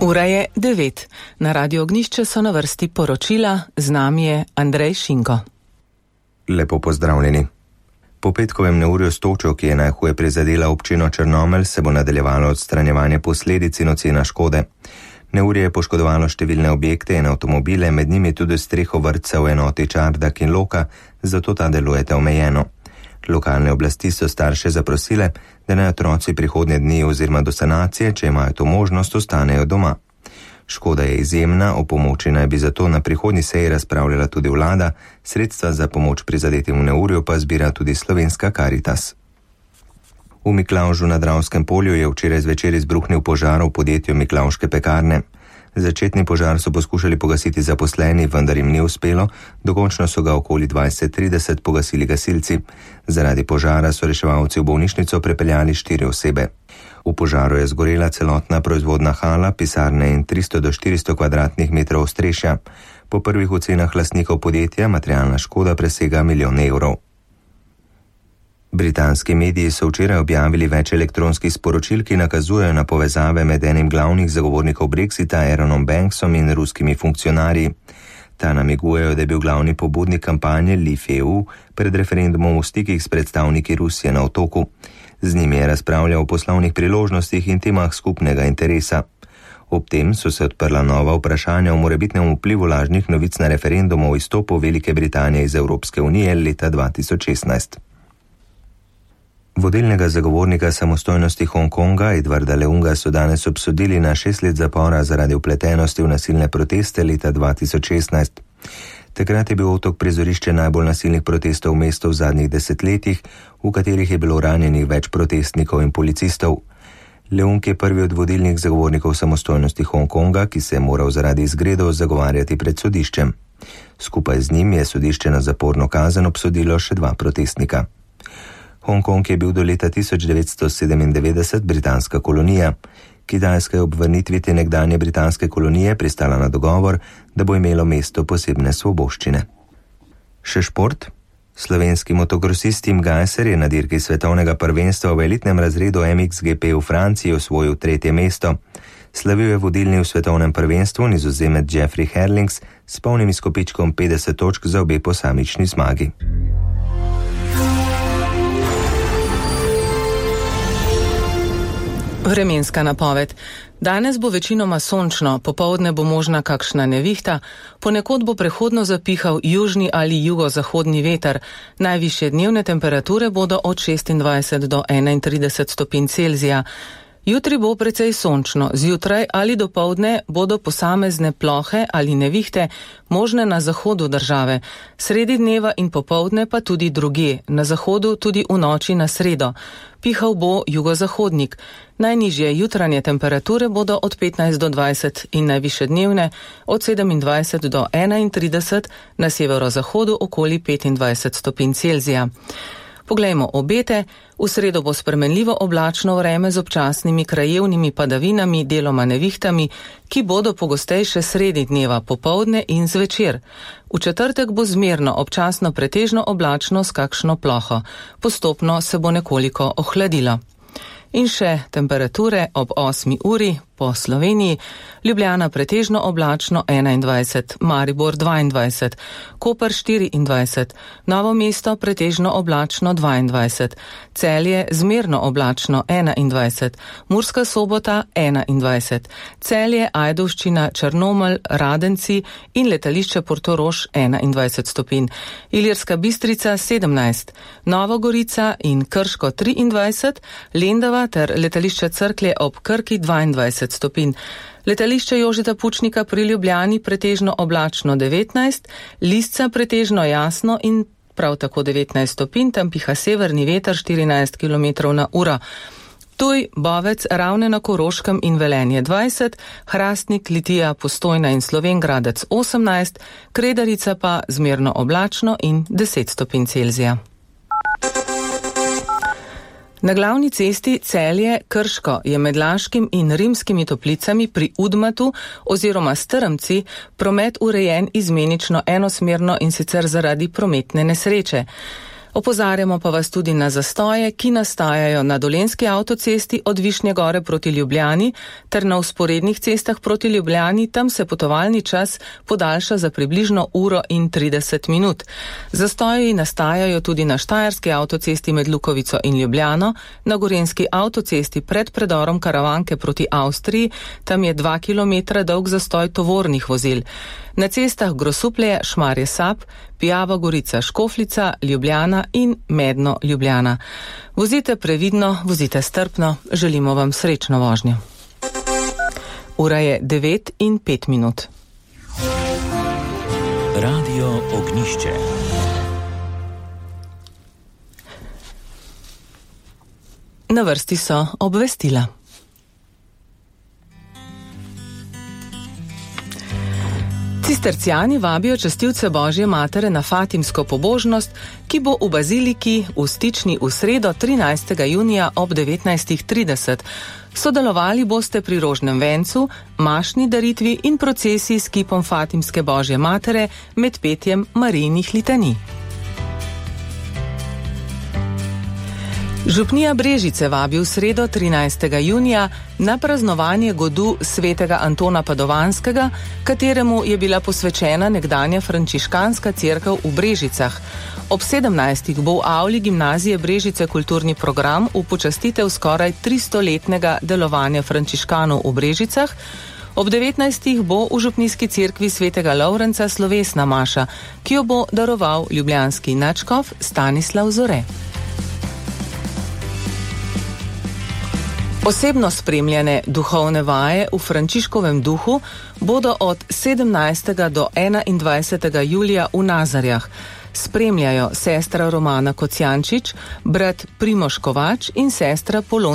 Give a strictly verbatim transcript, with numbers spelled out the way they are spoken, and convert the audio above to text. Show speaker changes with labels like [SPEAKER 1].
[SPEAKER 1] Ura je devet. Na Radio Ognjišče so na vrsti poročila, z nami je Andrej Šinko.
[SPEAKER 2] Lepo pozdravljeni. Po petkovem neurju s točo, ki je najhuje prizadela občino Črnomelj, se bo nadaljevalo odstranjevanje posledic in ocena škode. Neurje je poškodovalo številne objekte in avtomobile, med njimi tudi streho vrtca v enoti Čardak in Loka, zato ta delujete omejeno. Lokalne oblasti so starše zaprosile, da naj otroci prihodnje dni oziroma do sanacije, če imajo to možnost, ostanejo doma. Škoda je izjemna, o pomoči naj bi zato na prihodnji seji razpravljala tudi vlada, sredstva za pomoč prizadetim v neurju pa zbira tudi Slovenska Karitas. V Miklavžu na Dravskem polju je včeraj zvečer izbruhnil požar v podjetju Miklavške pekarne. Začetni požar so poskušali pogasiti zaposleni, vendar jim ni uspelo, dokončno so ga okoli dvajset trideset pogasili gasilci. Zaradi požara so reševalci v bolnišnico prepeljali štiri osebe. V požaru je zgorela celotna proizvodna hala, pisarne in tristo do štiristo kvadratnih metrov ostrešja. Po prvih ocenah lastnikov podjetja materialna škoda presega milijon evrov. Britanski mediji so včeraj objavili več elektronskih sporočil, ki nakazujejo na povezave med enim glavnih zagovornikov Brexita, Aaronom Banksom in ruskimi funkcionarji. Ta namigujejo, da je bil glavni pobudnik kampanje Leave E U pred referendumom v stikih s predstavniki Rusije na otoku. Z njimi je razpravljal o poslovnih priložnostih in temah skupnega interesa. Ob tem so se odprla nova vprašanja o morebitnem vplivu lažnih novic na referendum o izstopu Velike Britanije iz Evropske unije leta dva tisoč šestnajst. Vodilnega zagovornika samostojnosti Hongkonga, Edwarda Leunga, so danes obsodili na šest let zapora zaradi vpletenosti v nasilne proteste leta dva tisoč šestnajst. Takrat je bil otok prizorišče najbolj nasilnih protestov v mestu v zadnjih desetletjih, v katerih je bilo ranjenih več protestnikov in policistov. Leung je prvi od vodilnih zagovornikov samostojnosti Hongkonga, ki se je moral zaradi izgredov zagovarjati pred sodiščem. Skupaj z njim je sodišče na zaporno kazen obsodilo še dva protestnika. Hongkong je bil do leta tisoč devetsto sedemindevetdeset britanska kolonija. Kitajska je ob vrnitvi te nekdanje britanske kolonije pristala na dogovor, da bo imelo mesto posebne svoboščine. Še šport. Slovenski motokrosist Tim Gajser je na dirki svetovnega prvenstva v elitnem razredu M X G P v Franciji osvojil tretje mesto. Slavil je vodilni v svetovnem prvenstvu Nizozemec Jeffrey Herlings s polnim izkupičkom petdeset točk za obe posamični zmagi.
[SPEAKER 1] Vremenska napoved. Danes bo večinoma sončno, popoldne bo možna kakšna nevihta, ponekod bo prehodno zapihal južni ali jugozahodni veter. Najvišje dnevne temperature bodo od šestindvajset do enaintrideset stopinj Celzija. Jutri bo precej sončno, zjutraj ali dopoldne bodo posamezne plohe ali nevihte možne na zahodu države, sredi dneva in popoldne pa tudi drugje, na zahodu tudi v noči na sredo. Pihal bo jugozahodnik. Najnižje jutranje temperature bodo od petnajst do dvajset in najvišje dnevne od sedemindvajset do enaintrideset, na severozahodu okoli petindvajset stopinj Celzija. Poglejmo obete. V sredo bo spremenljivo oblačno vreme z občasnimi krajevnimi padavinami, deloma nevihtami, ki bodo pogostejše sredi dneva, popoldne in zvečer. V četrtek bo zmerno občasno pretežno oblačno s kakšno ploho. Postopno se bo nekoliko ohladilo. In še temperature ob osmi uri po Sloveniji. Ljubljana pretežno oblačno enaindvajset, Maribor dvaindvajset, Koper štiriindvajset, Novo mesto pretežno oblačno dvaindvajset, Celje zmerno oblačno enaindvajset, Murska Sobota enaindvajset, Celje, Ajdovščina, Črnomelj, Radenci in letališče Portorož enaindvajset stopinj, Ilirska Bistrica sedemnajst, Nova Gorica in Krško triindvajset, Lendava ter letališče Cerklje ob Krki dvaindvajset stopinj. Letališče Jožeta Pučnika pri Ljubljani pretežno oblačno devetnajst, Lisca pretežno jasno in prav tako devetnajst stopinj, tam piha severni veter štirinajst kilometrov na uro. Ptuj, Bovec, Ravne na Koroškem in Velenje dvajset, Hrastnik, Litija, Postojna in Slovenj Gradec osemnajst, Kredarica pa zmerno oblačno in deset stopinj Celzija. Na glavni cesti Celje-Krško je med Laškim in Rimskimi Toplicami pri Udmatu oziroma Strmci promet urejen izmenično enosmerno in sicer zaradi prometne nesreče. Opozarjamo pa vas tudi na zastoje, ki nastajajo na Dolenjski avtocesti od Višnje Gore proti Ljubljani ter na vzporednih cestah proti Ljubljani. Tam se potovalni čas podaljša za približno uro in trideset minut. Zastoji nastajajo tudi na Štajerski avtocesti med Lukovico in Ljubljano, na Gorenjski avtocesti pred predorom Karavanke proti Avstriji, tam je dva kilometra dolg zastoj tovornih vozil. Na cestah Grosuplje, Šmarje Sap, Pijava Gorica Škofljica, Ljubljana in Medno Ljubljana. Vozite previdno, vozite strpno, želimo vam srečno vožnjo. Ura je devet in pet minut.
[SPEAKER 3] Radio Ognjišče.
[SPEAKER 1] Na vrsti so obvestila. Cistercijani vabijo častilce Božje matere na fatimsko pobožnost, ki bo v baziliki v Stični v sredo trinajstega junija ob devetnajstih trideset. Sodelovali boste pri rožnem vencu, mašni daritvi in procesiji s kipom fatimske Božje matere med petjem Marijinih litanij. Župnija Brežice vabi v sredo trinajstega junija na praznovanje godu svetega Antona Padovanskega, kateremu je bila posvečena nekdanja frančiškanska cerkev v Brežicah. Ob sedemnajstih bo v avli gimnazije Brežice kulturni program v počastitev skoraj tristoletnega delovanja frančiškanov v Brežicah. Ob devetnajstih bo v župnijski cerkvi svetega Lovrenca slovesna maša, ki jo bo daroval ljubljanski nadškof Stanislav Zore. Osebno spremljene duhovne vaje v Frančiškovem duhu bodo od sedemnajstega do enaindvajsetega julija v Nazarjah. Spremljajo sestra Romana Kocijančič, brat Primož Kovač in sestra Polona